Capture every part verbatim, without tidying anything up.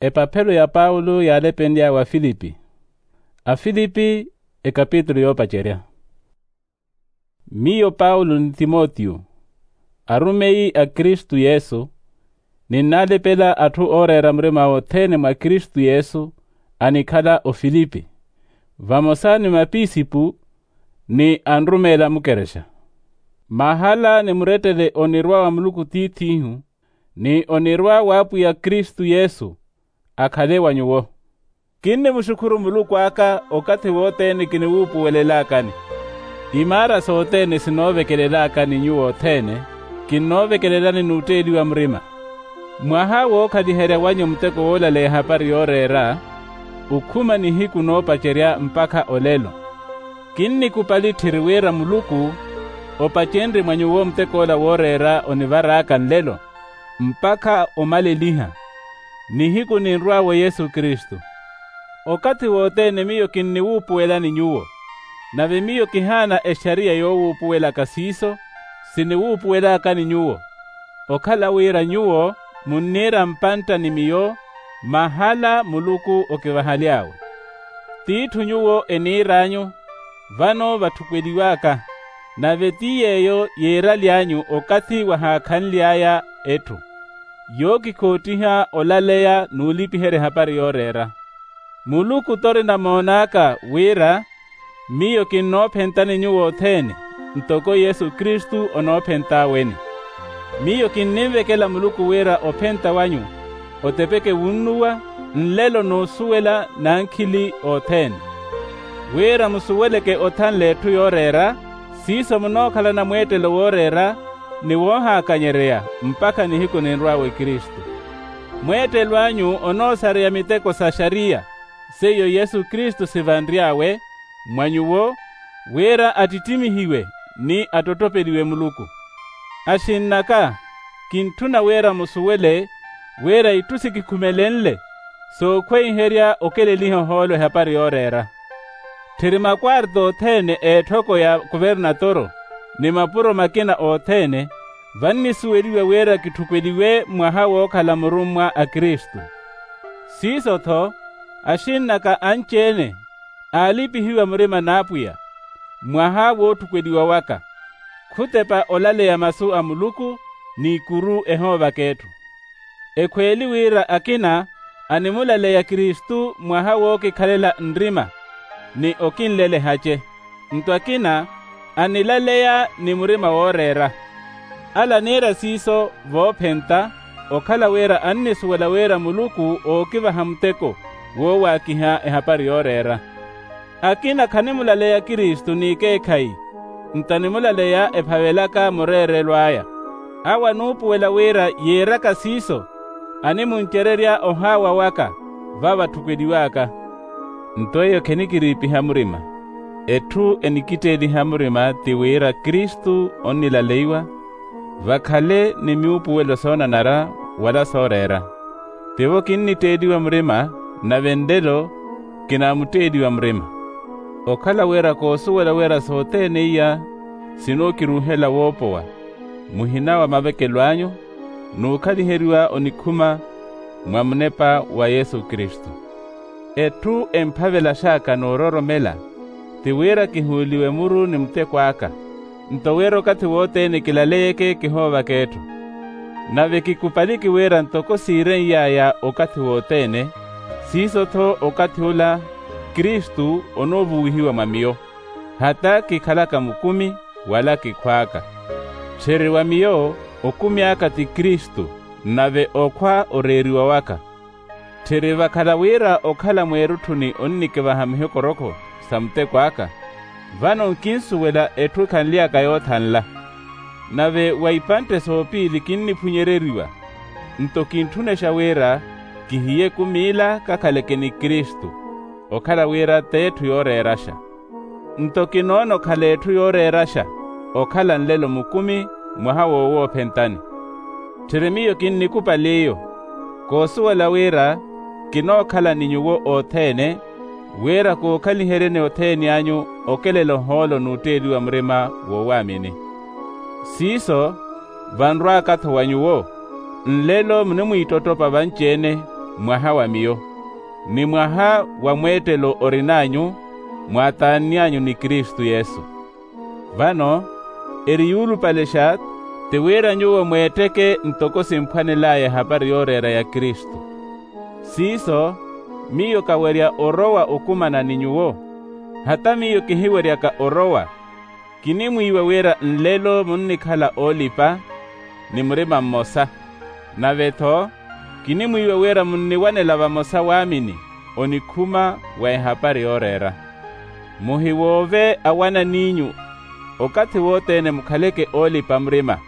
Epaphelo ya paulo yaalepenly'awe afilipi. Afilipi, ekapitulu yoopacerya. Miyo paulo ni timotiyo, arumeyi a kristu yesu, ninnalepela atthu ooreera murima othene mwa kristu yesu, anikhala ofilipi, vamosa ni mapisipu, ni anrumeela mukerexa. Mahala ni murettele onirwa wa muluku tiith'ihu, ni onirwa w'apwiya kristu yesu, akhale wa nyuwo. Kinnimuxukhuru muluku aka okathi wothene kiniwuupuwelelakani. Imaara sothene sinoovekelelakani nyuwo othene, kinnoovekelelani n'utteeliwa murima. Mwaha wookhaliherya wanyu muteko woolaleya ehapari yooreera, okhuma nihiku noopacerya mpakha olelo. Kinnikupali tthiri wira muluku opacenrye mwa nyuwo mutek'ola wooreera onivaraaka nlelo, mpakha omaleliha. Nihiku ninrw'awe yesu kristu. Okathi wothene miyo kinniwuupuwelani nyuwo. Nave miyo kihaana exariya yoowuupuwelaka siiso, siniwuupuwelakani nyuwo, okhala wira nyuwo munniira mpantta ni miyo, mahala muluku okivahaly'awe. T'itthu nyuwo eniir'anyu, vano vatthukweliw'aka. Nave ti yeeyo yiiraly'anyu okathi wahaakhanly'aya etthu, yookikhoottiha olaleya n'ulipiherya ehapari yooreera. Muluku t'orina moon'aka wira miyo kinnoophentani nyuwo othene, ntoko yesu kristu onoophent'aweni. Miyo kinninvekela muluku wira ophenta wanyu otepeke wunnuwa, nlelo n'usuwela n'ankhili othene. Wira musuweleke othanla etthu yooreera, siiso munookhalana mweettelo wooreera, ni woohaakanyereya mpakha nihiku ninrw'awe kristu. Mweettelo anyu onoosareya miteko sa xariya, seiyo yesu kristu sivanry'awe mwa nyuwo, wira attittimihiwe ni attottopeliwe muluku. Axinn'aka, kintthuna wira musuwele wira itthu sikikhumelenle sookhweiherya okeleliha ohoolo ehapari yooreera. Tthiri makwarto othene a etthoko ya kuvernatoro, ni mapuro makina othene, vannisuweliwa wira kitthukweliwe mwaha wookhala murummwa a kristu. Siiso-tho, axinn'aka anci-ene aalipihiwa murima n'apwiya, mwaha wootthukweliwa waka, khutepa olaleya masu a muluku, n'ikuru ehoovaka etthu. Ekhweeli wira akina animulaleya kristu mwaha wookikhalela nrima, ni okinlelehace. Nto akina anilaleya ni murima wooreera. Ala aniira siiso voophenta, okhala wira annisuwela wira muluku ookivaha muteko woowaakiha ehapari yooreera. Akina khanimulaleya kristu n'ikeekhayi, nto animulaleya ephavelaka mureerelo aya. Awo anuupuwela wira yiiraka siiso animuncererya ohaawa waka va vatthukweliw'aka. Nto eyo khenikiriipiha murima. Etthu enikitteeliha murima ti wira kristu onnilaleiwa, vakhale ni myuupuwelo soonanara wala sooreera. Tivo kinnitteeliwa murima, nave nlelo kinaamutteeliwa murima. Okhala wira koosuwela wira sothene iya sinookiruuhela woopowa, muhina wa mavekelo anyu n'ukhaliheriwa onikhuma mwa munepa wa yesu kristu. Etthu emphavelax'aka n'uroromela ti wira kihuuliwe muru ni muteko aka, nto wira okathi wothene kilaleyeke kihoovaka etthu. Nave kikupaliki wira ntoko siireny'aya okathi wothene, siiso-tho okathi ola kristu onoovuwihiwa mwa miyo, hata kikhalaka mukumi wala kikhw'aka. Tthiri wa miyo okumi aka ti kristu, nave okhwa oreeriwa waka. Tthiri vakhala wira okhala mweerutthuni onnikivaha mihikorokho sa muteko aka, vano nkinsuwela etthu ekhanly'aka yoothanla. Nave wa ipantte soopiili kinniphunyereriwa, nto kintthunexa wira kihiye ekumi ila kakhaleke ni kristu, okhala wira t'etthu yooreeraxa. Nto kinoona okhala etthu yooreeraxa okhala nlelo mukumi mwaha wowoophentani. Tthiri miyo kinnikupali iyo, koosuwela wira kinookhala ni nyuwo othene, wira kookhaliheryeni othene anyu okelela ohoolo n'utteeliwa murima wowaamini. Siiso vanrw'aka-tho wa nyuwo, nlelo munimwiitottopa vanci-ene mwaha wa miyo, ni mwaha wa mweettelo orin'anyu, mwaataanny'anyu ni kristu yesu. Vano eri yuulupalexa, ti wira nyuwo mweetteke ntoko simphwanel'aya ehapari yooreera ya kristu. Siiso, miyo kawerya orowa okumana ni nyuwo, hata miyo kihiweryaka orowa. Kinimwiiwa wira nlelo munnikhala oolipa ni murima mmosa, nave-tho kinimwiiwa wira munniwanela vamosa waamini onikhuma wa ehapari yooreera. Muhiwoove awanan'inyu okathi wothene mukhaleke oolipa murima.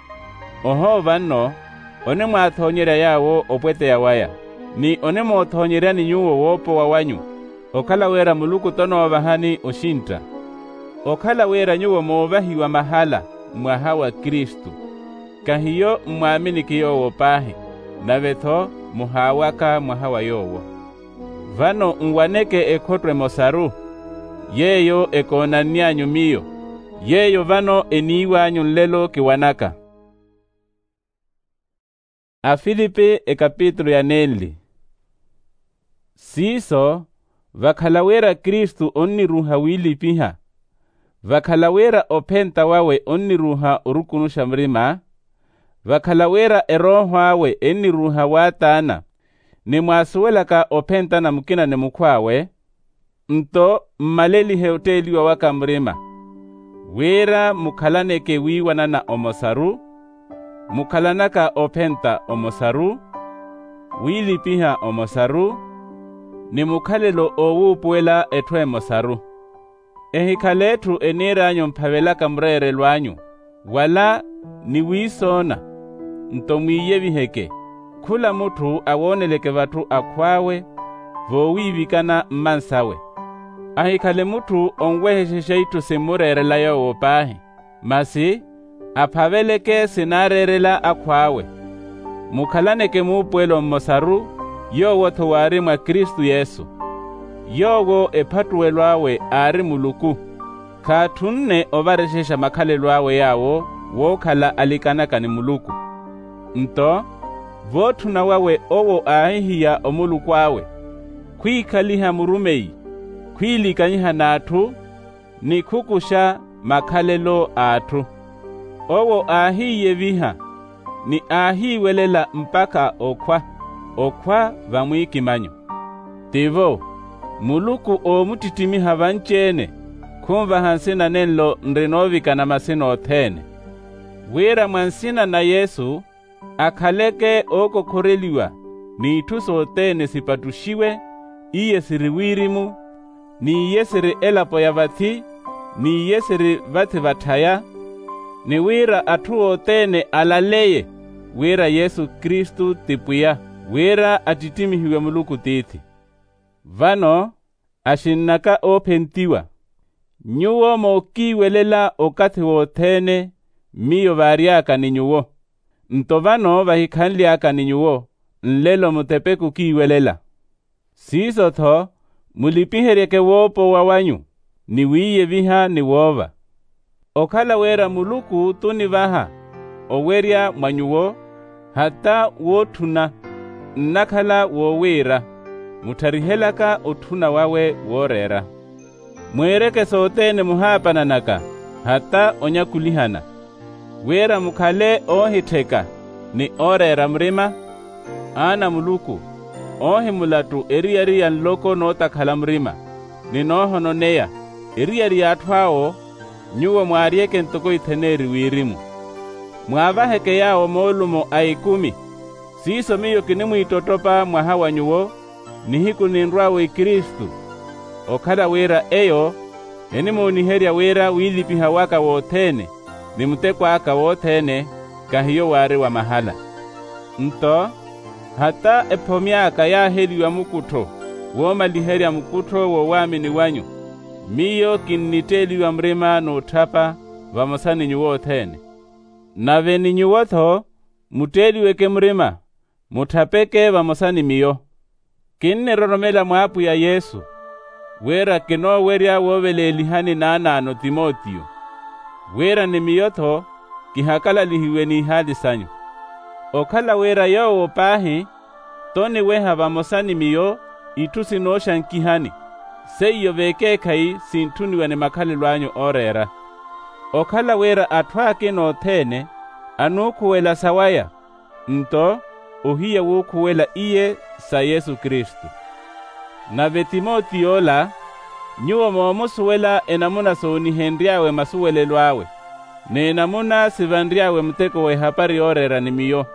Ohoova nno onimwaathoonyerya yaawo opweteya waya, ni onimoothoonyeryani nyuwo woopowa wanyu, okhala wira muluku tonoovahani oxintta. Okhala wira nyuwo moovahiwa mahala mwaha wa kristu, kahiyo mmwaaminiki yoowo paahi, nave-tho muhaawaka mwaha wa yoowo. Vano nwaneke ekhotto emosaru, yeeyo ekoonanny'anyu miyo, yeeyo vano eniiw'anyu nlelo kiwanaka. Afilipi ekapitulu ya nenli. Siiso, vakhala wira kristu onniruuha wiilipiha, vakhala wira ophenta wawe onniruuha orukunuxa murima, vakhala wira erooho awe enniruuha waataana, ni mwaasuwelaka ophentana mukina ni mukhw'awe, nto mmalelihe otteeliwa waka murima, wira mukhalaneke wiiwanana omosaru, mukhalanaka ophenta omosaru, wiilipiha omosaru, ni mukhalelo oowuupuwela etthu emosaru. Ehikhale etthu eniir'anyu mphavelaka mureerelo anyu, wala ni wiisoona, nto mwiiyeviheke, khula mutthu awooneleke vatthu akhw'awe, voowiivikana mmansawe. Ahikhale mutthu onwehexexa itthu simmureerela yoowo paahi, masi aphaveleke sinaareerela akhw'awe. Mukhalaneke muupuwelo mmosaru, yoowo-tho waari mwa kristu yesu. Yoowo ephattuwelo awe aari muluku, khaatthunne ovarexexa makhalelo awe yaawo wookhala alikanaka ni muluku. Nto vootthuna wawe owo aahihiya omuluku awe, khwiikhaliha murumeyi, khwiilikanyiha n'atthu, ni khukuxa makhalelo a atthu. Owo aahiiyeviha, ni aahiiwelela mpakha okhwa, okhwa vamwiikimanyo. Tivo, muluku oomuttittimiha vanci-ene, khunvaha nsina nenlo nrinoovikana masina othene, wira mwa nsina na yesu akhaleke ookokhoreliwa, n'itthu sothene sipattuxiwe, iye siri wirimu, n'iye siri elapo ya vathi, n'iye siri vathi vatthaya, ni wira atthu othene alaleye wira yesu kristu ti pwiya, wira attittimihiwe muluku tiithi. Vano axinn'aka oophentiwa, nyuwo mookiiwelela okathi wothene, miyo vaary'aka ni nyuwo, nto vano vahikhanly'aka ni nyuwo, nlelo mutepe kukiiwelela. Siiso-tho mulipiheryeke woopowa wanyu, ni wiiyeviha ni woova. Okhala wira muluku tunivaha owerya mwa nyuwo, hata wootthuna nnakhala woowiira, muttharihelaka otthuna wawe wooreera. Mwiireke sothene muhaapananaka, hata onyakulihana, wira mukhale oohittheka, ni ooreera murima, aana a muluku, oohimulattu eriyari ya nloko nootakhala murima, ni noohononeya, eriyari y'atthu awo. Nyuwo mwaaryeke ntoko itheneeri wirimu, mwaavaheke yaawo moolumo a ikumi. Siiso miyo kinimwiitottopa mwaha wa nyuwo, nihiku ninrw'awe kristu, okhala wira eyo enimooniherya wira wiilipiha waka wothene, ni muteko aka wothene, kahiyo waari wa mahala. Nto hata ephomy'aka yaaheliwa mukuttho woomaliherya mukuttho w'owaamini wanyu, miyo kinnitteeliwa murima n'utthapa vamosa ni nyuwo othene. Nave ni nyuwo-tho mutteeliweke murima, mutthapeke vamosa ni miyo. Kinniroromela mw'apwiya yesu, wira kinoowerya wooveleelihani naanaano timotiyo, wira ni miyo-tho kihakalalihiwe n'ihaali sanyu. Okhala wira yoowo paahi Nto niweha vamosa ni miyo itthu sinooxankihani, seiyo vekeekhayi sintthuniwa ni makhalelo anyu ooreera. Okhala wira atthu akina othene anuukhuwela sawaya, nto ohiya wuukhuwela iye sa yesu kristu. Nave timotiyo ola, nyuwo moomusuwela enamuna soonihenry'awe masuwelelo awe, n'enamuna sivanry'awe muteko w'ehapari yooreera ni miyo,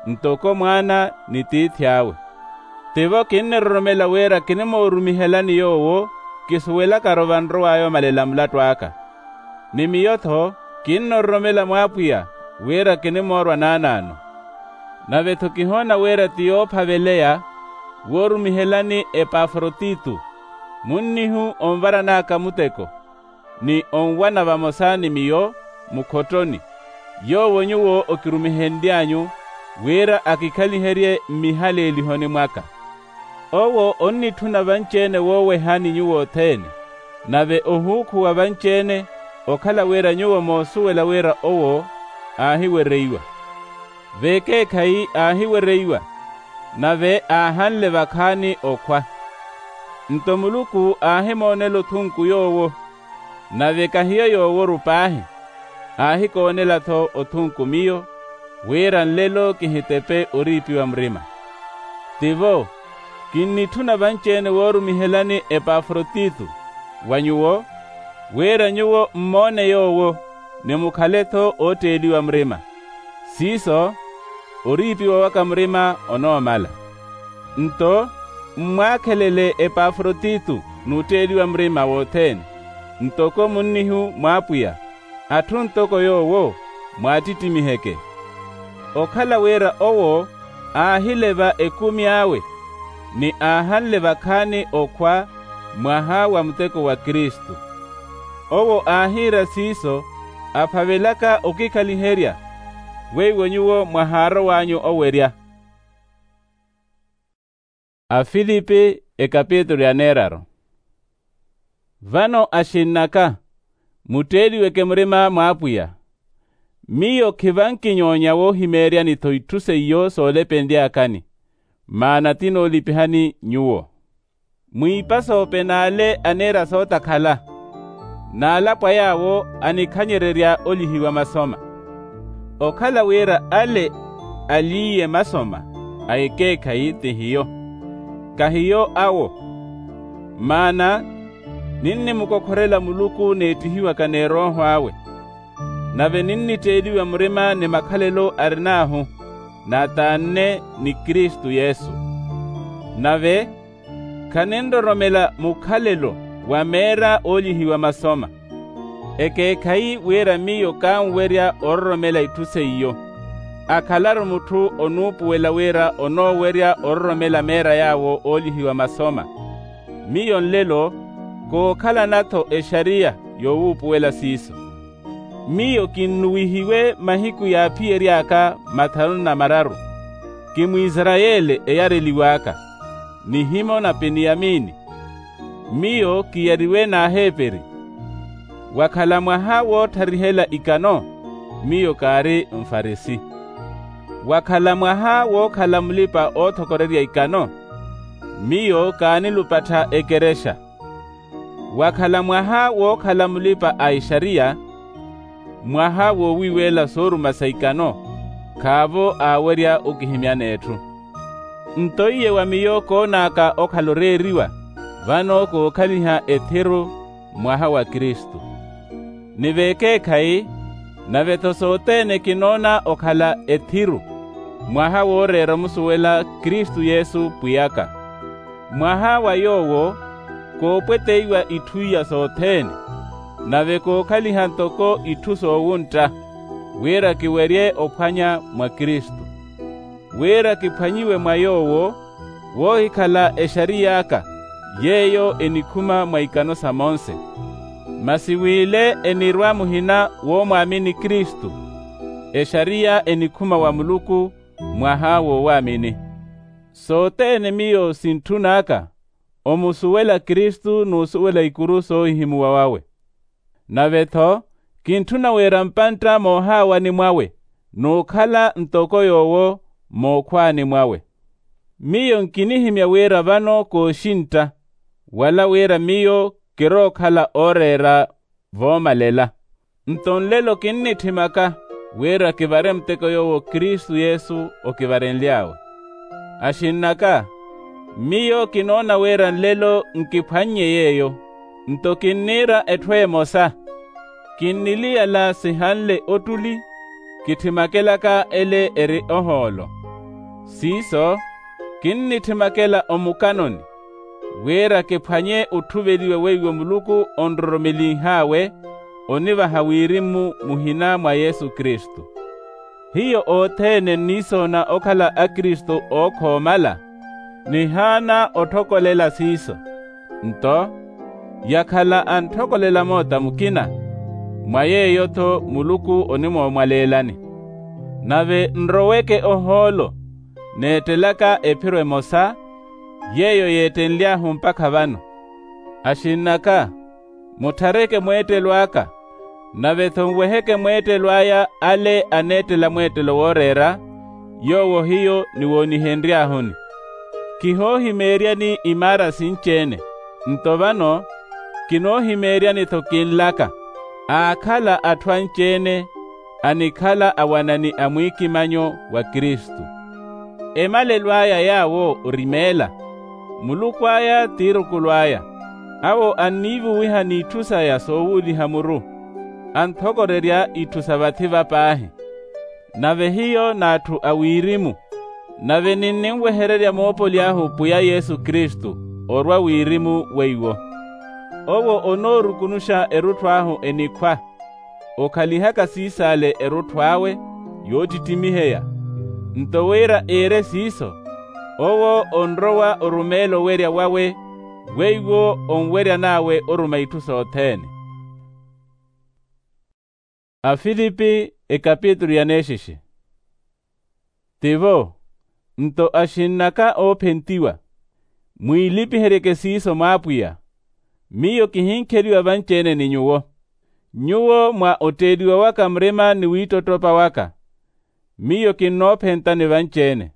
ntoko mwaana ni tiithi awe. Tivo kinniroromela wira kinimoorumihelani yoowo kisuwelakari ovanrow'aya omalela mulattu aka. Ni miyo-tho kinnororomela mw'apwiya wira kinimoorwa naanaano. Nave-tho kihoona wira ti yoophaveleya woorumihelani epafrotito, munnihu onvaran'aka muteko, ni onwana vamosa ni miyo mukhottoni, yoowo nyuwo okirumihenly'anyu wira akikhaliherye mmihaleelihoni mwaka. Owo onnitthuna vanci-ene woowehani nyuwo othene, nave ohuukhuwa vanci-ene, okhala wira nyuwo moosuwela wira owo aahiwereiwa. Vekeekhayi aahiwereiwa, nave aahanle vakhaani okhwa. Nto muluku aahimoonela othunku yoowo, nave kahiyo yooworu paahi, aahikoonela-tho othunku miyo, wira nlelo kihitepe oriipiwa murima. Tivo kinnitthuna vanci-ene woorumihelani epafrotito wa nyuwo, wira nyuwo mmoone yoowo, ni mukhale-tho ootteeliwa murima. Siiso, oriipiwa waka murima onoomala. Nto mmwaakhelele epafrotito n'utteeliwa murima wothene, ntoko munnihu mw'apwiya, atthu ntoko yoowo mwaattittimiiheke. Okhala wira owo aahileva ekumi awe, ni aahanle vakhaani okhwa mwaha wa muteko wa kristu. Owo aahiira siiso aphavelaka okikhaliherya, weiwo nyuwo mwahaarow'anyu owerya. Afilipi ekapitulu ya neeraru. Vano axinn'aka, mutteeliweke murima mw'apwiya. Miyo khivankinyoonya woohimeeryani-tho itthu seiyo soolepenly'akani, maana ti noolipihani nyuwo. Mwiipa soope n'ale aniira sootakhala, n'alapwa yaawo anikhanyererya olihiwa masoma. Okhala wira ale aliiye masoma a ekeekhayi ti hiyo, kahiyo awo. Maana ninnimukokhorela muluku n'ettihiwaka n'erooho awe, nave ninnitteeliwa murima ni makhalelo arin'ahu, n'ataanne ni kristu yesu. Nave khaninroromela mukhalelo wa meera oolihiwa masoma. Ekeekhayi wira miyo kaanwerya ororomela itthu seiyo, akhalaru mutthu onuupuwela wira onoowerya ororomela meera yaawo oolihiwa masoma. Miyo nlelo kookhalana-tho exariya yowuupuwela siiso. Miyo kinnuwihiwe mahiku yaaphiyery'aka mathanu na mararu. Kimwisarayeli eyareliw'aka, nihimo na piniyamini. Miyo kiyariwe n'aheperi. Wakhala mwaha wootharihela ikano, miyo kaari mfarisi. Wakhala mwaha wookhala mulipa-oothokorerya ikano, miyo kaanilupattha ekerexa. Wakhala mwaha wookhala mulipa a exariya, mwaha woowiiweela sooruma sa ikano, khaavo aawerya okihimyana etthu. Nto iye wa miyo koon'aka okhala oreeriwa, vano kookhaliha ethiru mwaha wa kristu. Ni vekeekhayi, nave-tho sothene kinoona okhala ethiru, mwaha wooreera omusuwela kristu yesu pwiy'aka. Mwaha wa yoowo koopweteiwa itthu iya sothene, nave kookhaliha ntoko itthu soowuntta, wira kiwerye ophwanya mwa kristu, wira kiphwanyiwe mwa yoowo, woohikhala exariy'aka, yeeyo enikhuma mwa ikano sa monse. Masi w'ile enirwa muhina woomwaamini kristu, exariya enikhuma wa muluku, mwaha woowaamini. Sothene miyo sintthun'aka omusuwela kristu n'usuwela ikuru soohihimuwa wawe. Nave-tho kintthuna wira mpantta moohaawani mwawe, n'ukhala ntoko yoowo mookhwaani mwawe. Miyo nkinihimya wira vano kooxintta, wala wira miyo kirookhala ooreera voomalela. Nto nlelo kinnitthimaka wira kivare muteko yoowo kristu yesu okivarenly'awe. Axinn'aka, miyo kinoona wira nlelo nkiphwannye yeeyo. Nto kinniira etthu emosa, kinniliyala sihanle ottuli, kitthimakelaka ele eri ohoolo. Siiso, kinnithimakela omukanoni, wira kiphwanye otthuveliwe weiwo muluku onroromelinh'awe, onivaha wirimu muhina mwa yesu kristu. Hiyo othene nniisoona okhala akristu ookhoomala, nihaana otthokolela siiso. Nto yakhala antthokolela moota mukina, mwa yeeyo-tho muluku onimoomwaleelani. Nave nroweke ohoolo, neettelaka ephiro emosa, yeeyo yeettenly'ahu mpakha vano. Axinn'aka, mutthareke mweettelo aka, nave-tho nweheke mweettelo aya ale aneettela mweettelo wooreera, yoowo hiyo niwoonihenry'ahuni. Kihoohimeeryani imaara sinci-ene, nto vano kinoohimeeryani-tho kinlaka, aakhala atthu anci-ene anikhala awanani a mwiikimanyo wa kristu. Emalelo aya yaawo orimeela, muluku aya t'irukulu aya, awo anniivuwiha n'itthu saya soowuuliha muru, anthokorerya itthu sa vathi va paahi. Nave hiyo n'atthu a wirimu, nave ninninwehererya moopoly'ahu pwiya yesu kristu, orwa wirimu weiwo. Owo onoorukunuxa erutthu ahu enikhwa, okhalihaka siis'ale erutthu awe, yoottittimiheya. Nto wira iire siiso, owo onrowa orumeela owerya wawe, weiwo onweryan'awe oruma itthu sothene. Afilipi ekapitulu ya neexexe. Tivo, nto axinn'aka oophentiwa, mwiilipiheryeke siiso mwa apwiya. Miyo kihinkheliwa vanci-ene ni nyuwo, nyuwo mwa otteeliwa waka murima ni wiittottopa waka. Miyo kinnoophentani vanci-ene.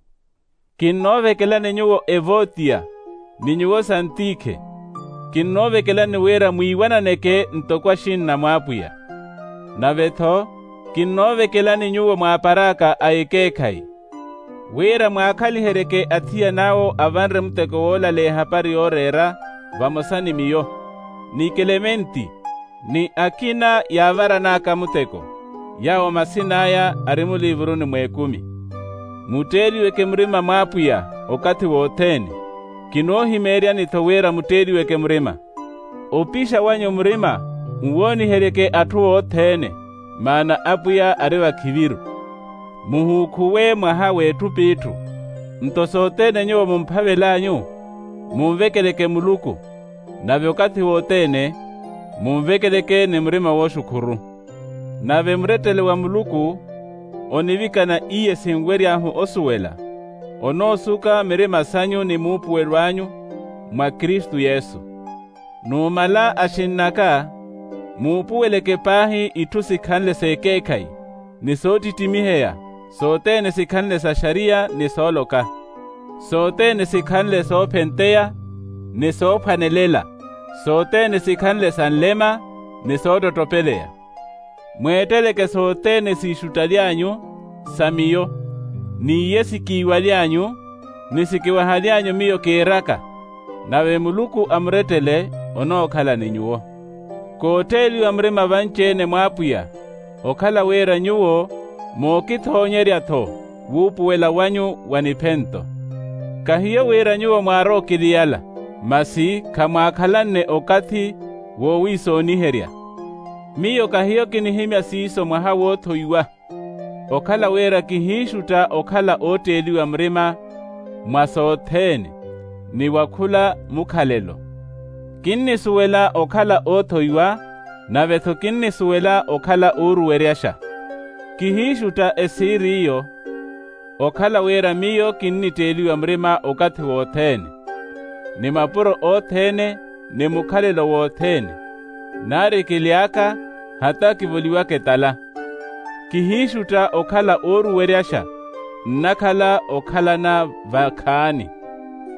Kinnoovekelani nyuwo evotiya, ni nyuwo santikhe. Kinnoovekelani wira mwiiwananeke ntoko axinna mwa apwiya. Nave-tho kinnoovekelani nyuwo mwaaparaaka a ekeekhayi, wira mwaakhaliheryeke athiyana awo avanre muteko woolaleya ehapari yooreera vamosa ni miyo, ni kelementi, ni akina yaavaran'aka muteko, yaawo masin'aya ari muliivuruni mw'ekumi. Mutteeliweke murima mwa apwiya okathi wothene. Kinoohimeeryani-tho wira mutteeliweke murima. Opixa wanyu murima nwooniheryeke atthu othene, maana apwiya ari vakhiviru. Muhuukhuwe mwaha w'etthu p'itthu. Nto sothene nyuwo mumphavel'anyu, munvekeleke muluku, nave okathi wothene munvekeleke ni murima wooxukhuru. Nave murettele wa muluku onivikana iye sinwery'ahu osuwela, onoosuka mirima sanyu ni muupuwelo anyu mwa kristu yesu. Numala axinn'aka, muupuweleke paahi itthu sikhanle s'ekeekhayi, ni soottittimiheya, sothene sikhanle sa xariya ni sooloka, sothene sikhanle soophenteya, ni soophwanelela, sothene sikhanle sa nlema, ni soottottopeleya. Mweetteleke sothene siixuttaly'anyu sa miyo, n'iye sikiiwaly'anyu, ni sikiwahaly'anyu miyo kiiraka. Nave muluku amurettele onookhala ni nyuwo. Kootteeliwa murima vanci-ene mwa apwiya, okhala wira nyuwo mookithoonyerya-tho wuupuwela wanyu wa niphento. Kahiyo wira nyuwo mwaarookiliyala, masi khamwaakhalanne okathi woowiisooniherya. Miyo kahiyo kinihimya siiso mwaha woothoiwa, okhala wira kihiixutta okhala ootteeliwa murima mwa sothene, ni wa khula mukhalelo. Kinnisuwela okhala oothoiwa, nave-tho kinnisuwela okhala ooruweryaxa. Kihiixutta esiiri iyo, okhala wira miyo kinnitteeliwa murima okathi wothene, ni mapuro othene, ni mukhalelo wothene, nari kily'aka, hata kivoliwaka etala. Kihiixutta okhala ooruweryaxa, nnakhala okhalana vakhaani.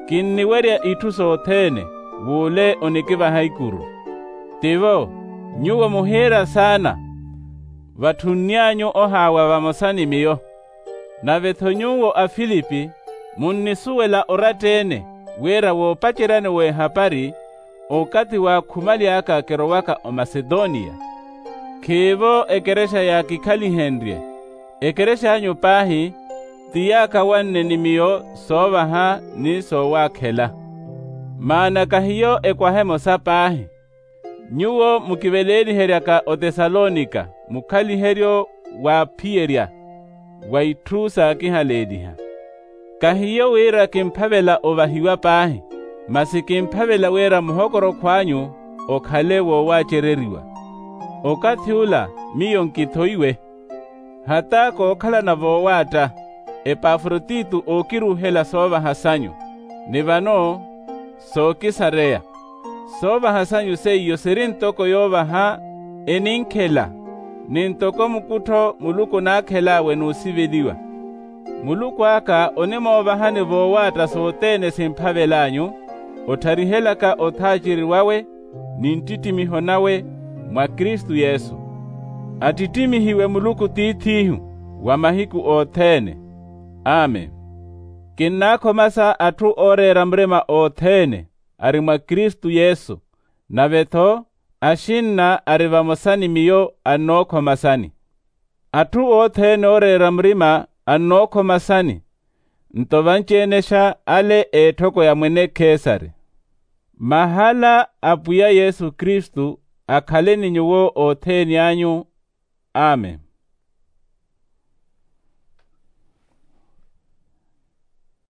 Kinniwerya itthu sothene w'ule onikivaha ikuru. Tivo, nyuwo muhiira saana, vatthunny'anyu ohaawa vamosa ni miyo. Nave-tho nyuwo afilipi munnisuwela oratta-ene, wira woopaceryani w'ehapari okathi waakhumaly'aka kirowaka omasetoniya. Khiivo ekerexa yaakikhalihenrye. Ekerex'anyu paahi ti yaakawanne ni miyo soovaha ni soowaakhela. Maana kahiyo ekwaha emosa paahi. Nyuwo mukiveleeliheryaka otesalonika mukhaliheryo waaphiyerya wa itthu saakihaleeliha. Kahiyo wira kimphavela ovahiwa paahi, masi kimphavela wira muhokorokho anyu okhale woowaacereriwa. Okathi ula miyo nkithoiwe. Hata kookhalana voowaatta, epafrotito ookiruuhela soovaha sanyu, ni vano sookisareya. Soovaha sanyu seiyo siri ntoko yoovaha eninkhela, ni ntoko mukuttho muluku onaakhel'awe n'usiveliwa. Muluku aka onimoovahani voowaatta sothene simphavel'anyu, ottharihelaka othaaceriwawe ni nttittimiho nawe mwa kristu yesu. Attittimihiwe muluku tiith'ihu wa mahiku othene. Amen. Kinnaakhomasa atthu ooreera murima othene ari mwa kristu yesu, nave-tho axinna ari vamosa ni miyo annookhomasani. Atthu othene ooreera murima annookhomasani, nto vanci-enexa ale a etthoko ya mwene kesare. Mahala a pwiya yesu kristu akhale ni nyuwo othene anyu. Amen.